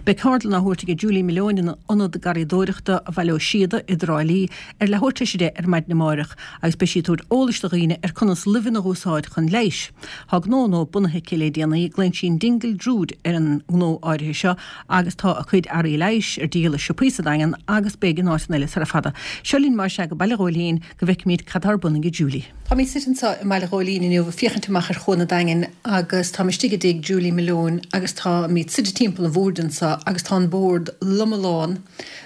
Beidh ceardlann á thabhairt aige Julie Malone in Ionad Garraíodóireachta Bhaile Ó Síoda i dTrá Lí ar leathuair tar éis a 10 ar maidin amáireach agus beidh sí ag tabhairt eolais do dhaoine ar conas luibheanna a dh'úsáid chun leighis. Tá gnó nua bunaithe aici le déanaí, glaonn sí an Dingle Druid ar an ngnó áirithe seo agus tá a cuid earraí leighis ar díol i siopaí sa Daingean agus beidh in áiteanna eile sara fada. Seo linn mar sea go Baile Ghóilín go bhfeicfimid cad tá ar bun aige Julie. Táimid suite anseo i mBaile Ghóilín inniu ag féachaint amach ar Chuan an Daingin agus táim istigh i dtigh Julie Malone agus táimid suite timpeall an bhoird anseo agus tá an bord loma lán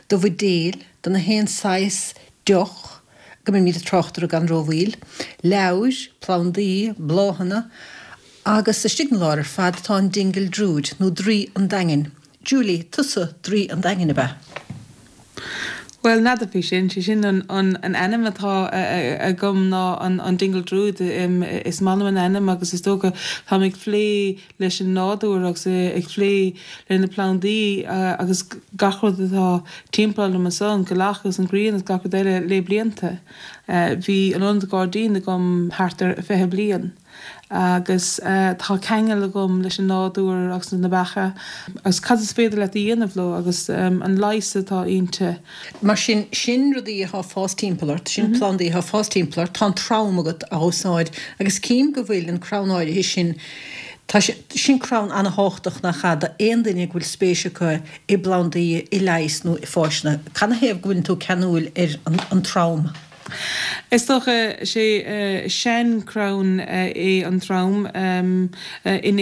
de bhuidéil de na haon saghas deoch go mbeimid ag trácht orthu gan rómhoill, leabhair, plandaí, bláthanna agus istigh 'na lár ar fad tá an Dingle Druid nó Draoi an Daingin. Julie, tusa Draoi an Daingin, ab ea? Bhuel, n'fheadar faoi sin. Sé sin an an ainm atá agam ná an Dingle Druid. Is maith liom an ainm agus is dócha táim ag plé leis an nádúr agus ag plé le na plandaí agus gach rud atá timpeall orm anso, an ghealach agus an ghrian agus gach rud eile le blianta. Bhí an ionad gairdín agam thart ar 20 bliain. agus tá ceangal agam leis an nádúr agus na beacha agus cad is féidir leat a dhéanamh leo agus an leigheas atá inti. Mar sin, sin rudaí atá ag fás timpeall ort, sin plandaí atá ag fás timpeall ort, tá an trom agat á úsáid agus cím go bhfuil an crann áirithe sin, tá sé, sin crann ana-thábhachtach nach ea d'aon duine go bhfuil spéis acu i bplandaí, i leigheas nó i bhfáiseanna. Cad 'na thaobh go bhfuileann tú ceanúil ar an trom? Is dócha, sé sean-chrann é an trom in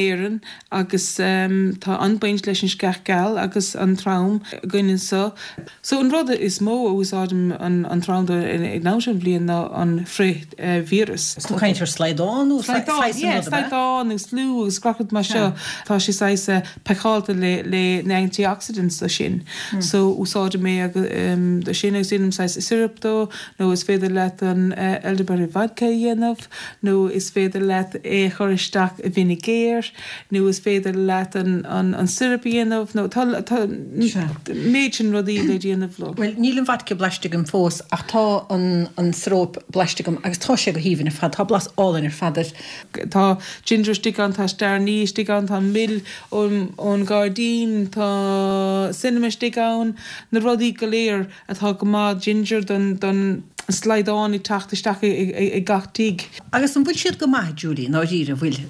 Éirinn agus tá an-bhaint leis an sceach geal agus an trom againn anso. So an rud is mó a úsáidim an trom do ag an am seo den bhliain ná an frith-víreas. Is tú ag caint ar slaghdán nó saghas an rud, ab ea? Yeah, slaghdán agus fliú agus gach rud mar seo. Tá sé saghas pacáilte le le na antioxidants do sin. So úsáidim é do sin agus déanaim saghas syrup dó nó is féidir leat an elderberry vodka a dhéanamh nó is féidir leat é a chur isteach i bhfínéagar nó is féidir leat an an syrup a dhéanamh nó tá tá méid sin rudaí le déanamh leo. Bhuel níl an vodka blaiste agam fós ach tá an an syrup blaiste agam agus tá sé go haoibhinn ar fad, tá blas álainn ar fad air. Tá ginger istigh ann, tá star anise istigh ann, tá mil ón ghairdín, tá cinnamon istigh ann, na rudaí go léir atá go maith, ginger don slaghdán ag teacht isteach i gach tigh. Agus an bhfuil siad go maith, Julie, i ndáiríre, an bhfuil?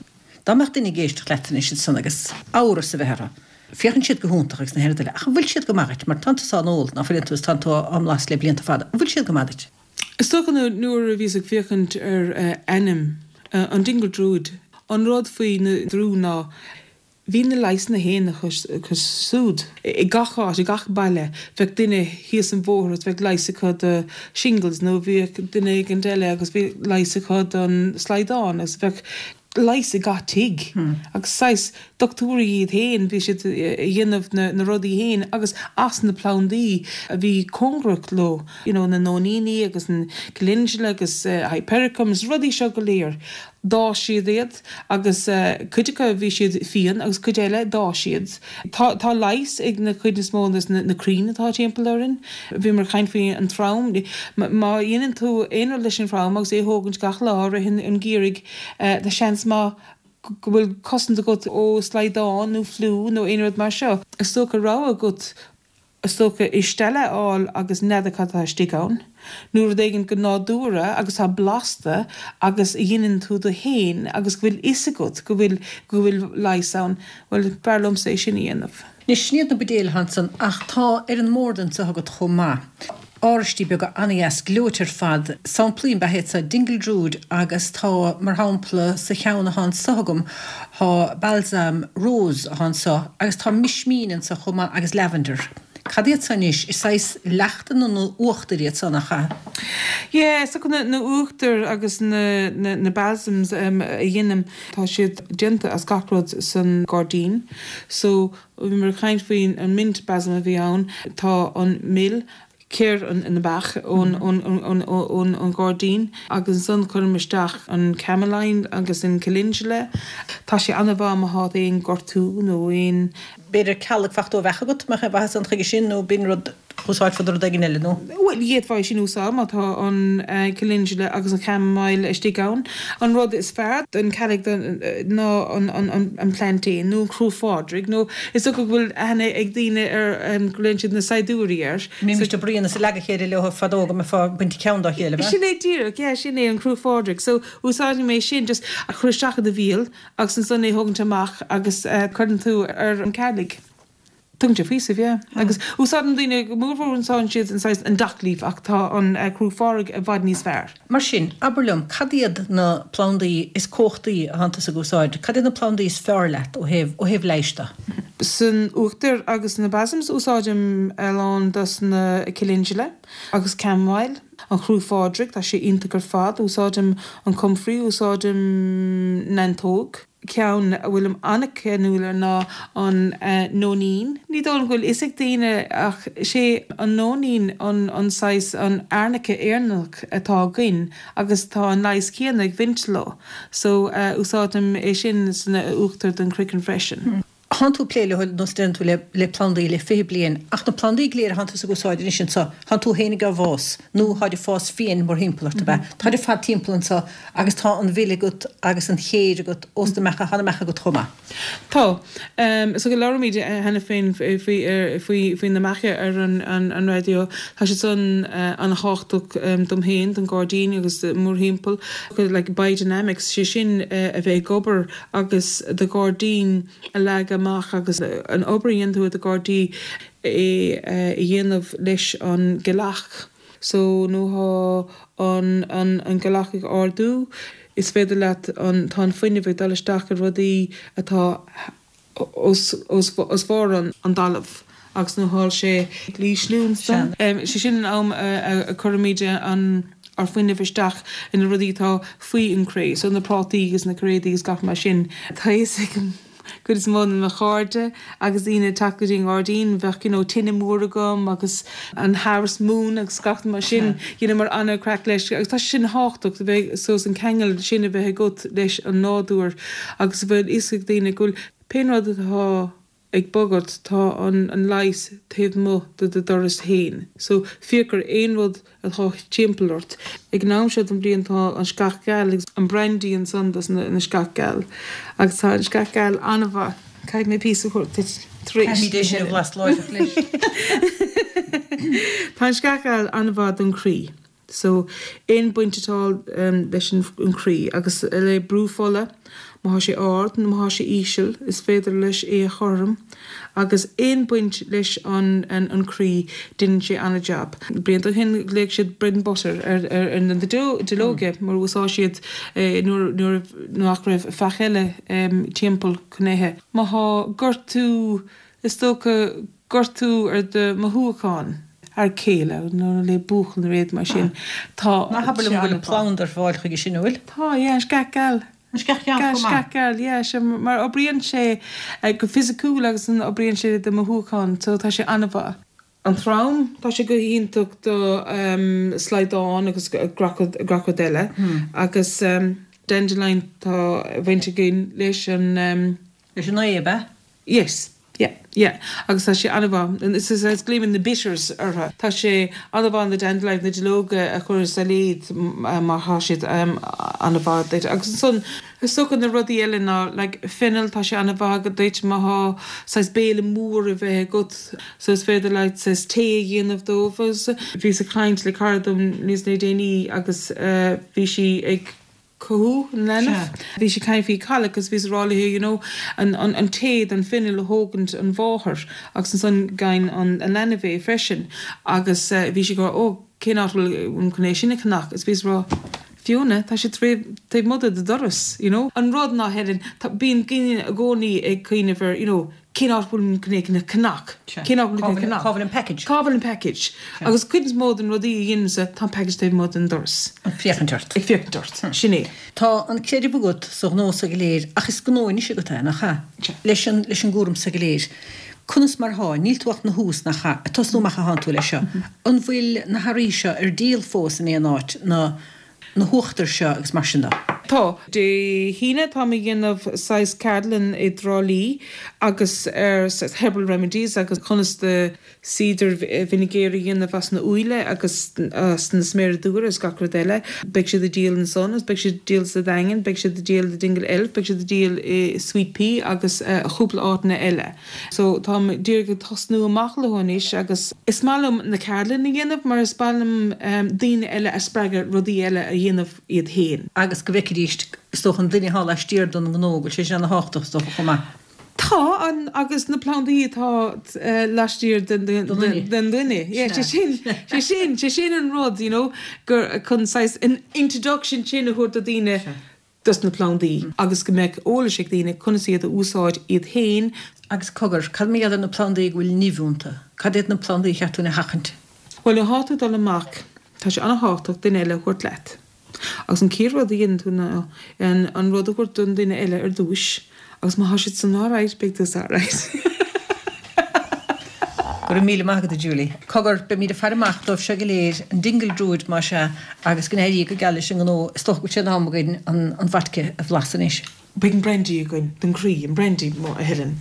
Dá mbeadh duine ag éisteacht leat anois ansan agus amhras a bheith orthu, féachann siad go hiontach agus na haon rud eile, ach an bhfuil siad go maith duit? Mar tánn tusa á n-ól, ná fuileann tú, is tánn tú á mblas le blianta fada, an bhfuil siad go maith duit? Is dócha nuair a bhíos ag féachaint ar ainm an Dingle Druid, an rud faoi na draoi ná bhí na leigheasanna féin acu siúd. I gach áit, i gach baile, bheadh duine thíos an bhóthar agus bheadh leigheas acu do shingles nó bhíodh duine éigint eile agus bhí leigheas acu don slaghdán agus bheadh leigheas i gach tigh agus saghas dochtúirí iad féin, bhí siad a dhéanamh na rudaí féin agus as na plandaí a bhí cóngarach leo, you know na nóiníní agus an calendula agus hypericum agus rudaí seo go léir. D'fhás siad iad agus cuid acu bhí siad fiáin agus cuid eile d'fhás siad. Tá tá leigheas ag na cuid is mó des na crainn atá timpeall orainn. Bhíomar ag caint faoi an trom, má dhéanann tú aon rud leis an throm agus é a thógaint gach lá i rith an gheimhridh, Tá seans maith go bhfuil cosaint agat ó slaghdán nó fliú nó aon rud mar seo. Is dócha rogha agat is dócha i stealla a fháil agus n'fheadar cad atá istigh ann, nó rud éigin go nádúrtha agus atá blasta agus a dheineann tú do fhéin agus go bhfuil fhios agat go bhfuil go bhfuil leigheas ann, bhuel b'fhearr liomsa é sin a dhéanamh. Anois, sin iad na buidéil atá ansan ach tá ar an mbord anso agat chomh maith. Oráistí beaga an-dheas gleoite ar fad. Samplaí ab ea iad seo, Dingle Druid agus tá, mar shampla, sa cheann atá anso agam, tá Balsam Rose atá anso agus tá Mismín anso chomh maith agus Lavender. Cad iad seo anois? Is saghas leachtanna nó uachtair iad seo, nach ea? Yeah, is dócha na uachtair agus na na balsams a dheinim, tá siad déanta as gach rud san gairdín. So Bhíomar ag caint faoin an mint balsam a bhí ann. Tá an mil, céir na mbeach ón ón ghairdín agus ansan cuirim isteach an chamomile agus an calendula. Tá sé an-mhaith má thá aon gortú nó aon. B'fhéidir cealg fachta ó bheach agat, mbeadh aon mhaitheas ann chuige sin nó b'in rud. Úsáidfeá rud éigin eile, nó? Bhuel, d'fhéadfá é sin a úsáid má tá an calendula agus an chamomile istigh ann. An rud is fearr don chealg ná an plantain nó an Crú Phádraig nó is dócha go bhfuil aithne ag daoine ar, glaonn siad na saighdiúirí air. Bhímist ag bruíon is ag leagadh a chéile leo fadó go mbeifeá ag baint ceann dá chéile, ab ea? Sin é díreach, yeah, sin é an Crú Phádraig. So, úsáidim é sin just a chur isteach i do bhéal agus ansan é thógaint amach agus cuireann tú ar an chealg. Tugann sé faoiseamh, yeah. Agus úsáideann daoine go mórmhór úsáideann siad an saghas an dock leaf ach tá an Crú Phádraig i bhfad níos fearr. Mar sin, abair liom, cad iad na plandaí is cumhachtaí a thánn tusa ag úsáid? Cad iad na plandaí is fearr leat ó thaobh, ó thaobh leighis de? San uachtar agus na balsams úsáidim a lán dos na calendula agus chamomile, an Chrú Phádraig, tá sé iontach ar fad, úsáidim an comfrey, úsáidim neantóg. Ceann a bhfuilim an-cheanúil air ná an nóinín. Ní dóigh liom go bhfuil fhios ag daoine ach sé an nóinín an saghas an arnica Éireannach atá againn agus tá an leigheas céanna ag baint leo so úsáidim é sin san uachtar don chroiceann freisin. Thánn tú ag plé leo nós deireann tú le le plandaí le 20 bliain ach na plandaí go léir a thánn tusa ag úsáid anois anso, thánn tú féin ag fás nó tháid ag fás fiáin mórthimpeall ort ab ea? Táid ar fad timpeall anso agus tá an mhil agat agus an chéir agat ós na beacha, tá na beacha agat chomh maith. Tá. So go labhraímid cheana féin faoi faoi faoi na beacha ar an an raidió. Tá siad san an-thábhachtach dom féin, don ghairdín agus mórthimpeall. Like biodynamics, sé sin a bheith ag obair agus do ghairdín a leagadh amach agus an obair a dhéanann tú i do ghairdí é a dhéanamh leis an gceallach. So nuair thá an an an gealach ag ardú is féidir leat an tá an fuinneamh ag dul isteach i rudaí atá os os os bharr an an dtalamh agus nuair thá sé ag ísliú ansan sé sin an am a a cuirimid an ár fuinneamh isteach ina rudaí atá faoi an cré so na prátaí agus na cairéadaí agus gach mar sin. Tá fhios ag cuid is mó de mo chairde agus daoine ag teacht go dtí an ngairdín, bheadh you know tine mór agam agus an harvest moon agus gach mar sin, dheineamar an-chraic leis agus tá sé sin tábhachtach a bheith saghas an ceangal sin a bheith agat leis an nádúr agus a bheith fhios ag daoine go bhfuil pé rud atá ag bogadh tá an an leigheas taobh amuigh de do doras féin so féach ar aon rud atá timpeall ort. Ag an am seo den bhliain tá an sceach gheal agus an brandy ansan dos na sceach geal agus tá an sceach gheal an-mhaith. Caithfidh mé píosa a thabhairt duit tar éis. Caithfimid é sin a bhlas láithreach leis. Tá an sceach gheal an-mhaith don chroí. So, aon baint atá leis an chroí agus le brú fola, má thá sé ard nó má thá sé íseal, is féidir leis é a chothrom agus aon baint leis an an croí, deineann sé an-jab. Blianta ó shin ghlaoigh siad bread and butter ar ar na duilleoga mar úsáid siad é nuair nuair nach raibh faic eile timpeall chun ithe. Má thá gortú is dócha gortú ar do mothúcháin. Fhear céile nó le buachaill nó rud mar sin. Tá. Ná habair liom go bhfuil planda ar fáil chuige sin, an bhfuil? Tá, yeah, an sceach gheal. An sceach gheal chomh maith? Sceach gheal, yeah, sea, mar oibríonn sé go fisiciúil agus oibríonn sé do mothúcháin, so tá sé an-mhaith. An trom, tá sé go hiontach do slaghdán agus gach rud eile. Agus dandelion, tá baint againn leis an. Leis an ae, ab ea? Yes. Yeah. Yeah. Agus tá sé an-mhaith. Is is is glaoimid na bitters orthu. Tá sé an-mhaith na dandelion, na duilleoga a chur i sailéad mar tá siad an-mhaith duit. Agus ansan is dócha na rudaí eile ná like fennel, tá sé an-mhaith duit má thá saghas béile mór a bheith agat so is féidir leat saghas tae a dhéanamh dóibh. Agus bhíos ag caint le cara dom níos le déanaí agus bhí sí ag cothú an leanbh. Bhí sí ag caint faoi colic agus bhíos ag rá léi you know an an tae den fennel a thógaint an mháthair agus ansan gheibheann an an leanbh é freisin agus bhí sí ag rá oh cén áit a bhfuil chun é sin a cheannach agus bhíos ag rá Fiona tá sé taobh amuigh de do doras you know. An rud ná Helen tá bíonn daoine i gcónaí ag cuimhneamh ar you know cén áit a bhfuil mé chun é a cheannach? Cén áit a bhfuil mé chun é a cheannach? Cá bhfuil an package? Cá bhfuil an package? Agus cuid is mó den rudaí a dhéanaimse, tá an package taobh amuigh den doras. Ag féachaint ort. Ag féachaint ort. Sin é. Tá an creideamh agat sa ghnó so go léir ach is gnó anois agat é, nach ea? Leis an, leis an gcúram so go léir. Conas mar thá? Níl tú ach 'na thús, nach ea? Ag tosnú amach athánn tú leis seo. An bhfuil na hearraí seo ar díol fós in aon áit, na, na huachtair seo agus mar sin de? Tá. Dé hAoine táim ag déanamh saghas ceardlann i dTrá Lí agus ar saghas herbal remedies agus conas do cider vinegar a dhéanamh as na úlla agus as na sméara dubha agus gach rud eile. Beidh siad ag díol ansan agus beidh siad ag díol sa Daingean, beidh siad ag díol i Dingle Elf, beidh siad ag díol i Sweet Pea agus chúpla áiteanna eile. So táim díreach ag tosnú amach leo anois agus is maith liom na ceardlanna a dhéanamh mar is maith liom daoine eile a spreagadh rudaí eile a dhéanamh iad féin. Agus go bhfeicfidís, is dócha, an duine atá laistiar den ngnó, go bhfuil sé sin ana-thábhachtach, is dócha, chomh maith. Tá, an, agus na plandaí atá laistiar den duine. Yeah, sé sin, sé sin, sé sin an rud, you know, gur chun saghas an introduction sin a thabhairt do daoine dos na plandaí agus go mbeadh eolais ag daoine conas iad a úsáid iad féin. Agus cogar, cad mar gheall ar na plandaí go bhfuil nimh iontu? Cad iad na plandaí ar cheart dúinn a sheachaint? Bhuel, nuair atá tú ag dul amach, tá sé an-thábhachtach duine eile a thabhairt leat. Agus an chéad rud a dhéanann tú ná an rud a thabhairt don duine eile ar dtúis agus má thá siad san alright, beidh tusa alright. Go raibh míle maith agat, a Julie. Cogar, beimid ag faire amach dóibh seo go léir, an Dingle Druid más ea, agus go n-éirí go geal leis an ngnó. Is dócha go bhfuil sé in am againn an vodka a bhlaiseadh anois. Beidh an brandy againn don chroí, an brandy, a Helen.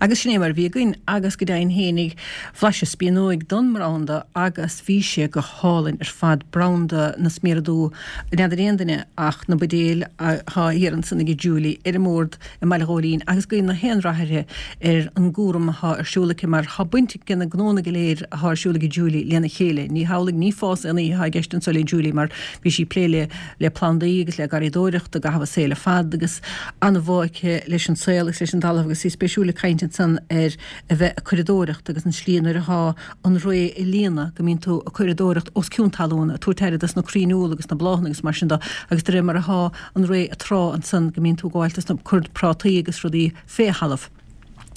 Agus sin é mar a bhí againn agus go deimhin fhéinig bhlaiseas spíonóig don mbranda agus bhí sé go hálainn ar fad, branda na sméara dubha, n'fheadar aon duine ach na buidéil atá thiar ansan ag Julie ar an mbord i mBaile Ghóilín agus guím na haon rath uirthi ar an gcúram athá ar siúl aici mar thá baint ag na gnónna go léir athá ar siúl ag Julie lena chéile. Ní hamhlaidh, ní fás aon oíche athá i gceist anso le Julie mar bhí sí ag plé le le plandaí agus le garraíodóireacht i gcaitheamh a saoil ar fad agus an-bhá aici leis an saol agus leis an dtalamh agus í spéisiúil ag caint ansan ar a bheith ag curadóireacht agus an slí nuair athá an ré ag líonadh go mbíonn tú ag curadóireacht os cionn talún ag tabhairt aire dos na crainn úll agus na bláthanna agus mar sin do agus de réir mar athá an ré ag trá ansan go mbíonn tú ag gabháil dos na cur prátaí agus rudaí fé thalamh.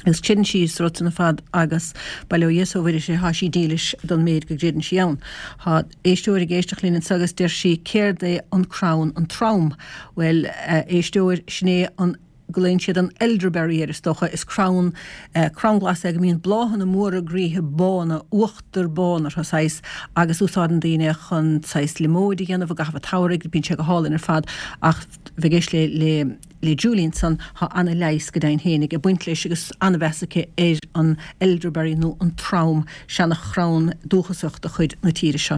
Agus creideann sí sa rud san ar fad agus bail ó Dhia is ó Mhuire uirthi thá sí dílis don méid go gcreideann sí ann. Thá éisteoir ag éisteacht linn anso agus deir sí céard é an crann an trom? Bhuel, a éisteoir, sin é an glaonn siad an elderberry air is dócha. Is crann, crann glas é go mbíonn bláthanna móra groíthe bána, uachtar bán orthu saghas, agus úsáideann daoine chun saghas liomóid a dhéanamh i gcaitheamh an tsamhraidh, bíonn sé go hálainn ar fad ach bheith ag éisteacht le, le. le Julie ansan, thá ana-leigheas go deimhin fhéinig ag baint leis agus ana-mheas aici ar an elderberry nó an trom, seana-chrann dúchasach de chuid na tíre seo.